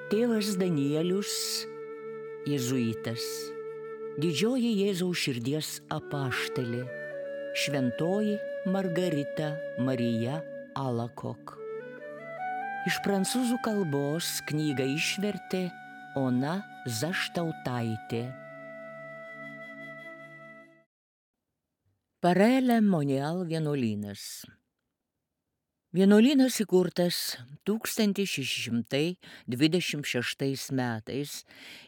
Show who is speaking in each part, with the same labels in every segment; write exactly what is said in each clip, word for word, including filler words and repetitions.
Speaker 1: Tėvas Danielius, jėzuitas, didžioji Jėzaus širdies apaštalė, šventoji Margarita Marija Alakok. Iš prancūzų kalbos knygą išvertė Ona Zaštautaitė. Parele Monial vienuolynas. Vienuolynas įkurtas tūkstantis šeši šimtai dvidešimt šeštais metais.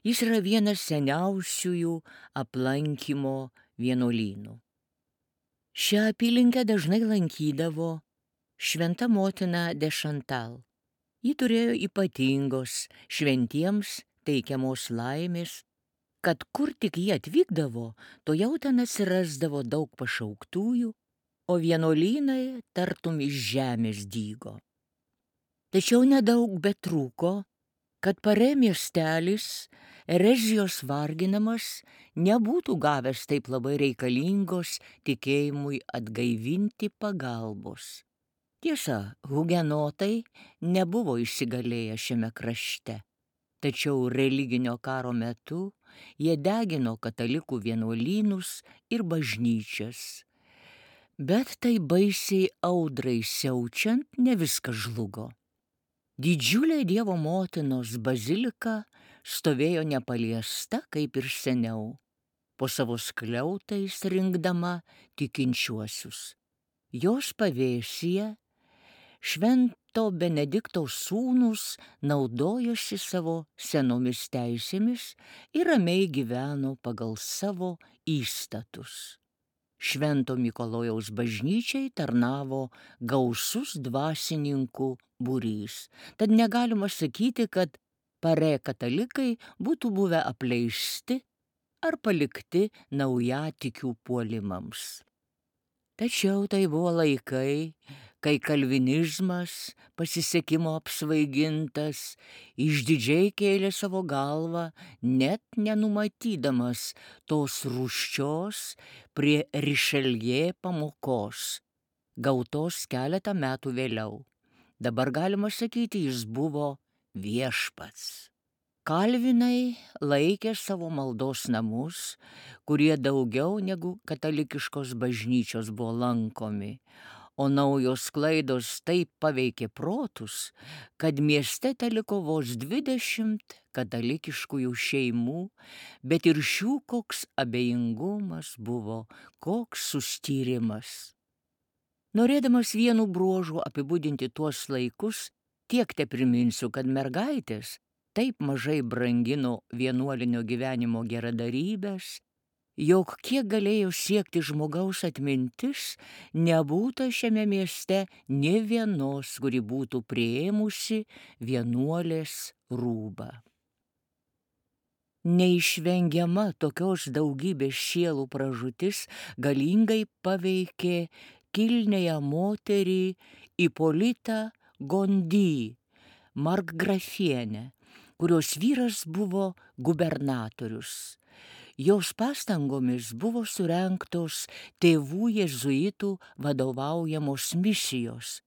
Speaker 1: Jis yra vienas seniausiųjų aplankymo vienuolynų. Šią apylinkę dažnai lankydavo šventa motina de Chantal. Ji turėjo ypatingos šventiems teikiamos laimės, kad kur tik jie atvykdavo, to jau ten atsirasdavo daug pašauktųjų, o vienuolynai tartum iš žemės dygo. Tačiau nedaug betrūko, kad Parė miestelis, erezijos varginamas, nebūtų gavęs taip labai reikalingos tikėjimui atgaivinti pagalbos. Tiesa, hugenotai nebuvo įsigalėję šiame krašte, tačiau religinio karo metu jie degino katalikų vienuolynus ir bažnyčias. Bet tai baisiai audrai siaučiant ne viskas žlugo. Didžiulė Dievo motinos bazilika stovėjo nepaliesta kaip ir seniau, po savo skliautais rinkdama tikinčiuosius. Jos pavėsyje Švento Benedikto sūnūs naudojosi savo senomis teisėmis ir ramiai gyveno pagal savo įstatus. Švento Mikalojaus bažnyčiai tarnavo gausus dvasininkų būrys, tad negalima sakyti, kad Parė katalikai būtų buvę apleisti ar palikti naujatikių puolimams. Tačiau tai buvo laikai, kai kalvinizmas, pasisekimo apsvaigintas, išdidžiai kėlė savo galvą, net nenumatydamas tos rūsčios prie Rišeljė pamokos, gautos keletą metų vėliau. Dabar galima sakyti, jis buvo viešpats. Kalvinai laikė savo maldos namus, kurie daugiau negu katalikiškos bažnyčios buvo lankomi, o naujos klaidos taip paveikė protus, kad mieste teliko vos dvidešimt katalikiškųjų šeimų, bet ir šių koks abejingumas buvo, koks sustyrimas. Norėdamas vienu bruožu apibūdinti tuos laikus, tiek te priminsiu, kad mergaitės taip mažai brangino vienuolinio gyvenimo geradarybės, jog kiek galėjo siekti žmogaus atmintis, nebūta šiame mieste nė vienos, kuri būtų priėmusi vienuolės rūbą. Neišvengiama tokios daugybės sielų pražūtis galingai paveikė kilniąją moterį Ipolitą Gondy, markgrafienę, kurios vyras buvo gubernatorius. Jos pastangomis buvo surengtos tėvų jėzuitų vadovaujamos misijos,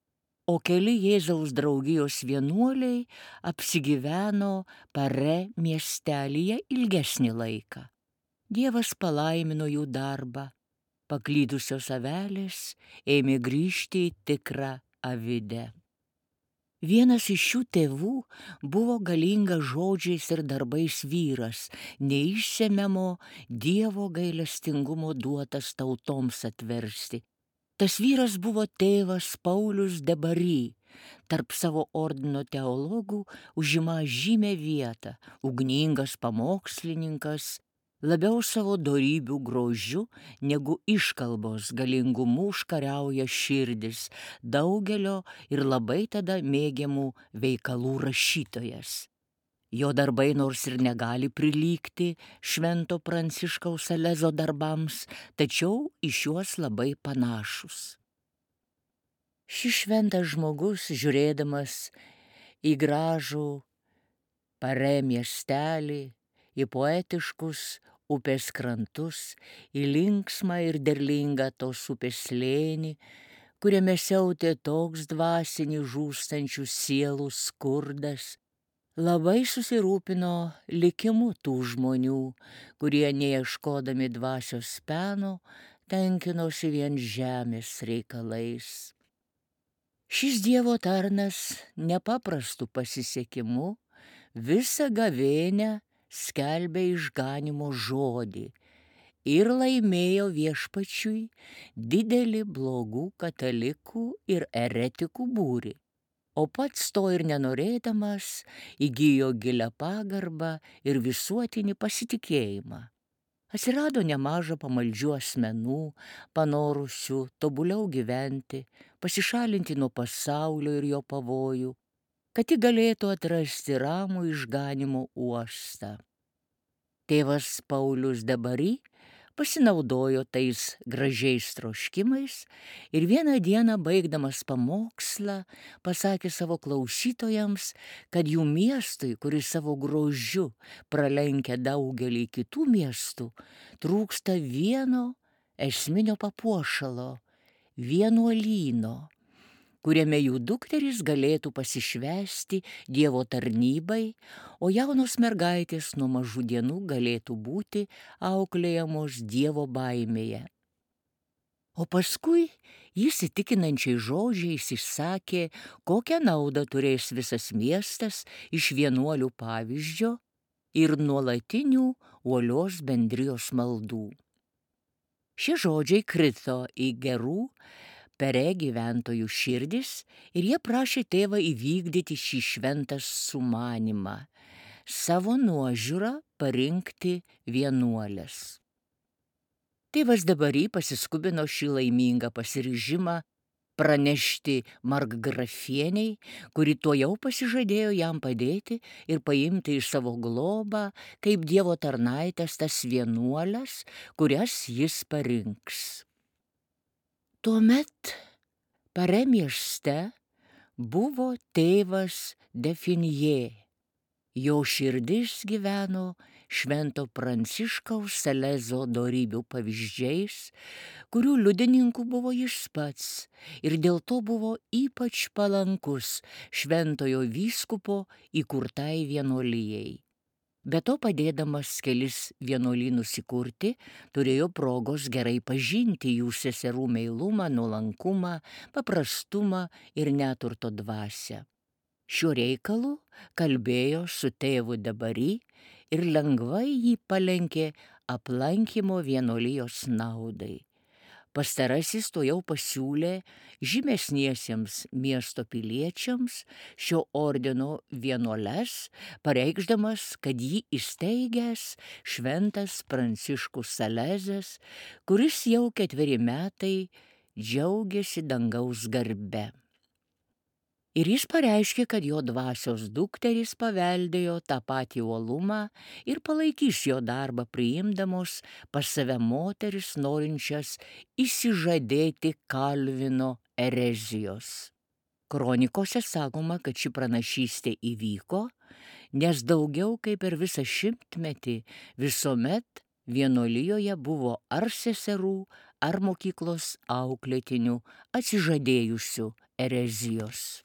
Speaker 1: o keli Jėzaus draugijos vienuoliai apsigyveno Parė miestelyje ilgesnį laiką. Dievas palaimino jų darbą, paklydusios avelės ėmė grįžti į tikrą avidę. Vienas iš šių tėvų buvo galingas žodžiais ir darbais vyras, neišsemiamo Dievo gailestingumo duotas tautoms atversti. Tas vyras buvo tėvas Paulius de Bary, tarp savo ordino teologų užima žymią vietą, ugningas pamokslininkas, labiau savo dorybių grožiu negu iškalbos galingumu užkariauja širdis daugelio ir labai tada mėgiamų veikalų rašytojas. Jo darbai nors ir negali prilygti Švento Pranciškaus Salezo darbams, tačiau iš juos labai panašus. Šis šventas žmogus, žiūrėdamas į gražų Parė miestelį, į poetiškus upės krantus, į linksmą ir derlingą tos upės slėnį, kuriame siautė toks dvasinį žūstančių sielų skurdas, labai susirūpino likimu tų žmonių, kurie neieškodami dvasios peno tenkinosi vien žemės reikalais. Šis Dievo tarnas nepaprastu pasisekimu visą gavėnią skelbė išganimo žodį ir laimėjo viešpačiui didelį blogų katalikų ir eretikų būrį, o pats to ir nenorėdamas įgijo gilią pagarbą ir visuotinį pasitikėjimą. Atsirado nemaža pamaldžių asmenų, panorusių tobuliau gyventi, pasišalinti nuo pasaulio ir jo pavojų, kad ji galėtų atrasti ramų išganimo uostą. Tėvas Paulius Dabary pasinaudojo tais gražiais troškimais ir vieną dieną baigdamas pamokslą pasakė savo klausytojams, kad jų miestui, kuris savo grožiu pralenkia daugelį kitų miestų, trūksta vieno esminio papuošalo - vienuolyno, kuriame jų dukterys galėtų pasišvęsti Dievo tarnybai, o jaunos mergaitės nuo mažų dienų galėtų būti auklėjamos Dievo baimėje. O paskui jis įtikinančiai žodžiais išsakė, kokią naudą turės visas miestas iš vienuolių pavyzdžio ir nuolatinių uolios bendrijos maldų. Šie žodžiai krito į gerų Pere gyventojų širdis ir jie prašė tėvą įvykdyti šį šventą sumanimą - savo nuožiūrą parinkti vienuolės. Tėvas Dabary pasiskubino šį laimingą pasiryžimą pranešti markgrafieniai, kuri tuojau pasižadėjo jam padėti ir paimti į savo globą kaip Dievo tarnaitės tas vienuolės, kurias jis parinks. Tuomet Pare mieste buvo tėvas Definjė. Jo širdis gyveno Švento Pranciškaus Salezo dorybių pavyzdžiais, kurių liudininku buvo jis pats ir dėl to buvo ypač palankus šventojo vyskupo įkurtai vienuolijai. Be to, padėdamas kelis vienuolynus įkurti, turėjo progos gerai pažinti jų seserų meilumą, nuolankumą, paprastumą ir neturto dvasią. Šiuo reikalu kalbėjo su tėvu Dabary ir lengvai jį palenkė aplankymo vienuolijos naudai. Pastarasis tuojau pasiūlė žymesniesiems miesto piliečiams šio ordino vienuoles, pareikšdamas, kad jį įsteigęs šventas Pranciškus Salezas, kuris jau ketveri metai džiaugiasi dangaus garbe. Ir jis pareiškė, kad jo dvasios dukterys paveldėjo tą patį uolumą ir palaikys jo darbą priimdamos pas save moteris norinčias išsižadėti Kalvino erezijos. Kronikose sakoma, kad ši pranašystė įvyko, nes daugiau kaip per visą šimtmetį visuomet vienuolijoje buvo ar seserų, ar mokyklos auklėtinių atsižadėjusių erezijos.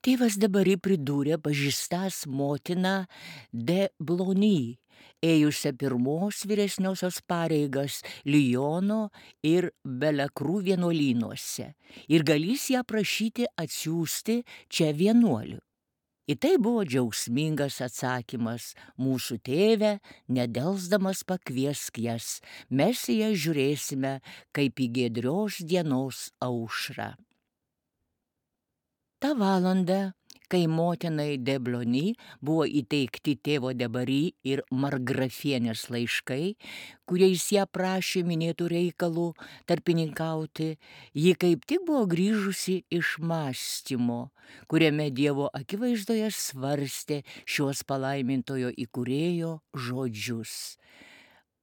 Speaker 1: Tėvas Dabary pridūrė pažįstas motiną de Blony, ėjusią pirmos vyresniosios pareigas Liono ir Belekrų vienuolynuose, ir galys ją prašyti atsiųsti čia vienuolių. Į tai buvo džiaugsmingas atsakymas: mūsų tėve, nedelsdamas pakviesk jas, mes į jas žiūrėsime kaip į giedrios dienos aušrą. Ta valanda, kai motinai de Blony buvo įteikti tėvo Dabary ir markgrafienės laiškai, kuriais ją prašė minėtų reikalų tarpininkauti, ji kaip tik buvo grįžusi iš mąstymo, kuriame Dievo akivaizdoje svarstė šios palaimintojo įkūrėjo žodžius.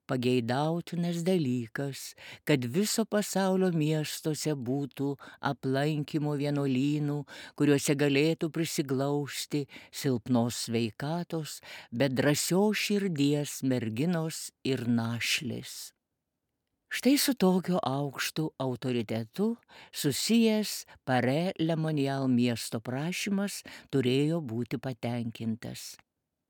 Speaker 1: Pageidautinas dalykas, kad viso pasaulio miestuose būtų aplankymo vienuolynų, kuriuose galėtų prisiglausti silpnos sveikatos, bet drąsios širdies merginos ir našlės. Štai su tokiu aukštu autoritetu susijęs Pare Lemonial miesto prašymas turėjo būti patenkintas.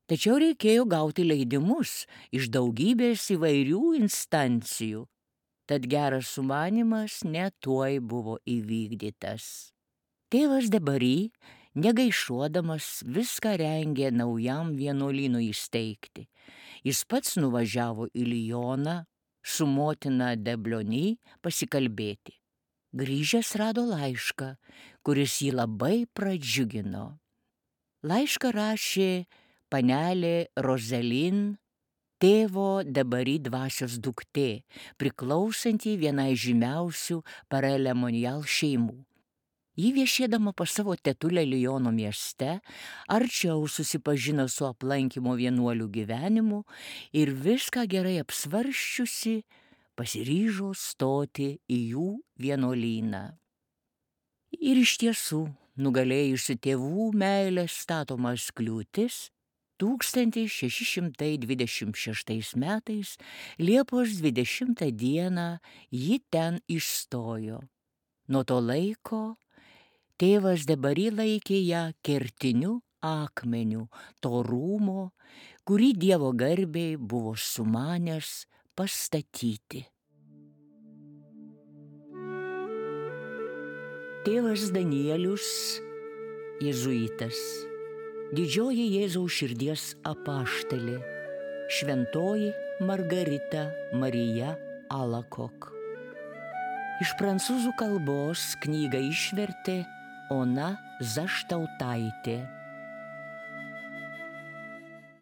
Speaker 1: Tačiau reikėjo gauti leidimus iš daugybės įvairių instancijų, tad geras sumanymas netuoj buvo įvykdytas. Tėvas de Bary, negaišuodamas, viską rengė naujam vienuolynui įsteigti. Jis pats nuvažiavo į Lioną su motina de Blony pasikalbėti. Grįžęs rado laišką, kuris jį labai pradžiugino. Laišką rašė panelė Rozelin, tėvo de Bary dvasios duktė, priklausanti vienai žymiausių Pare Lemonial šeimų. Ji viešėdama pas savo tetulę Liono mieste arčiau susipažino su aplankymo vienuolių gyvenimu ir viską gerai apsvarsčiusi pasiryžo stoti į jų vienuolyną. Ir iš tiesų, nugalėjusi tėvų meilės statomas kliūtis, tūkstantis šeši šimtai dvidešimt šeštais metais Liepos dvidešimtą dieną ji ten išstojo. Nuo to laiko tėvas de Bary laikė ją kertiniu akmeniu to rūmo, kurį Dievo garbei buvo sumanęs pastatyti. Tėvas Danielius, jėzuitas, didžioji Jėzaus širdies apaštalė, šventoji Margarita Marija Alakok. Iš prancūzų kalbos knygą išvertė Ona Zaštautaitė.